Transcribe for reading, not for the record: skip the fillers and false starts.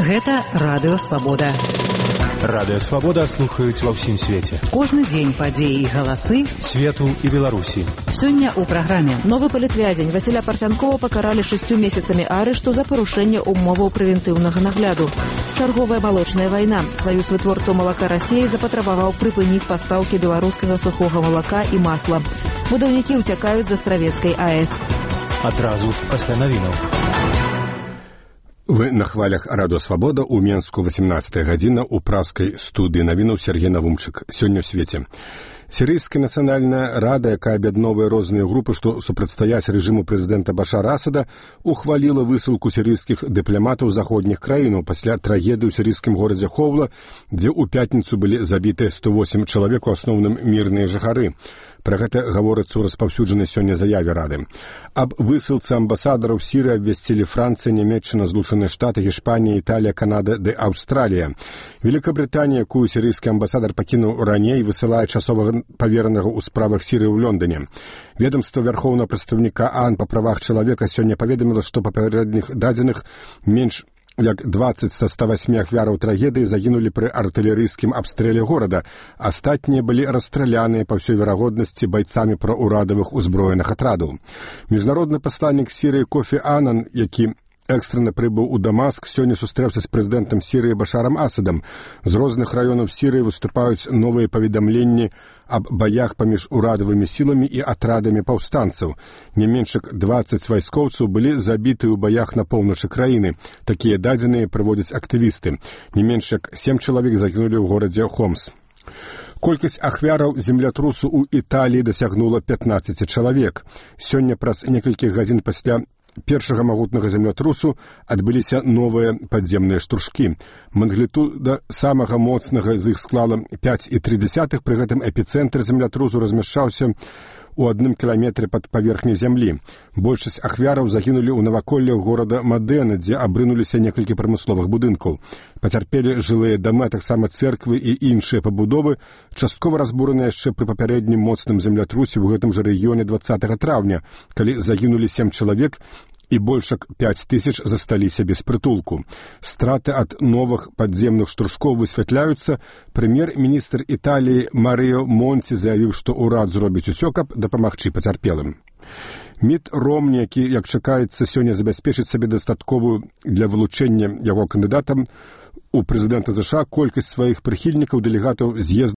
Гэта Радыё Свабода. Радыё Свабода слухаюць ва ўсім свеце. Кожны дзень падзеі і галасы свету і Беларусі. Сёння ў праграме. Новы палітвязень Васіля Парфянкова пакаралі 6 месяцамі арышту за парушэнне умоваў прэвентыўнага нагляду. Чарговая малочная вайна. Саюз вытворцаў малака Расіі запатрабаваў прыпыніць пастаўкі беларускага сухога малака і масла. Будаўнікі ўцякаюць з Астравецкай АЭС. Адразу пасля навінаў. Вы на хвалях Радыё Свабода ў Менску 18 гадзіна ў пражскай студыі навінаў Сергей Навумчык. Сёння ў свеце. Сірыйская нацыянальная рада, якая аб'ядноўвае розныя групы, што супрацьстаяць рэжыму прэзідэнта Башара Асада, ухваліла высылку сірыйскіх дыпламатаў заходніх краінаў пасля трагедыі ў сірыйскім горадзе Хоўла, дзе ў пятніцу былі забітыя 108 чалавек, у асноўным мірныя жыхары. Пра гэта гаворыцца ў распаўсюджанай сёння заяве рады. Аб высылцы амбасадараў Сірыі абвясцілі Францыя, Нямецчына, Злучаныя Штаты, Гішпанія, Італія, Канада ды Аўстралія. Великабрытанія, якую сірыйскі амбасадар пакінуў раней, высылае часовага паверанага ў справах Сірыі ў Лондоне. Ведомства вярхоўнага прадстаўніка ААН па правах чалавека сёння паведаміла, што па папярэдніх дадзеных менш як 20 са 108 ахвяраў трагедыі загінулі пры артылерыйскім абстрэле горада. Астатнія былі расстраляныя па ўсёй верагоднасці байцамі праўрадавых узброеных атрадаў. Міжнародны пасланнік Сірыі Кофі Анан, які экстрана прыбыў у Дамаск, сёння сустрэўся з прэзідэнтам Сірыі Башарам Асадам. З розных раёнаў Сірыі выступаюць новыя паведамленні аб баях паміж урадавымі сіламі і атрадамі паўстанцаў. Не менш як 20 вайскоўцаў былі забіты ў баях на поўначы краіны. Такія дадзеныя прыводзяць актывісты. Не менш як 7 чалавек загінулі ў горадзе Хомс. Колькасць ахвяраў землятрусу ў Італіі дасягнула 15 чалавек. Сёння праз некалькі гадзін пасля першага магутнага землятрусу адбыліся новыя падземныя штуршкі. Магнітуда самага моцнага з іх склала 5,3, пры гэтым эпіцэнтр землятрусу размяшчаўся у 1 кіламетры пад паверхняй зямлі. Большасць ахвяраў загінулі ў наваколлях горада Мадена, дзе абрынуліся некалькі прамысловых будынкаў. Пацярпелі жылыя дамы, таксама цэрквы і іншыя пабудовы, часткова разбураныя яшчэ пры папярэднім моцным землятрусе ў гэтым жа рэгіёне 20 траўня, калі загінулі 7 чалавек і больш як 5000 засталіся без прытулку. Страты ад новых падземных штуршкоў высвятляюцца. Прэм'ер-міністр Італіі Марыо Монці заявіў, што ўрад зробіць усё, каб дапамагчы пацярпелым. Міт Ромні, які, як чакаецца, сёння забяспечыць сабе дастатковую для вылучэння яго кандыдатам у прэзідэнта ЗША колькасць сваіх прыхільнікаў, дэлегатаў з'езду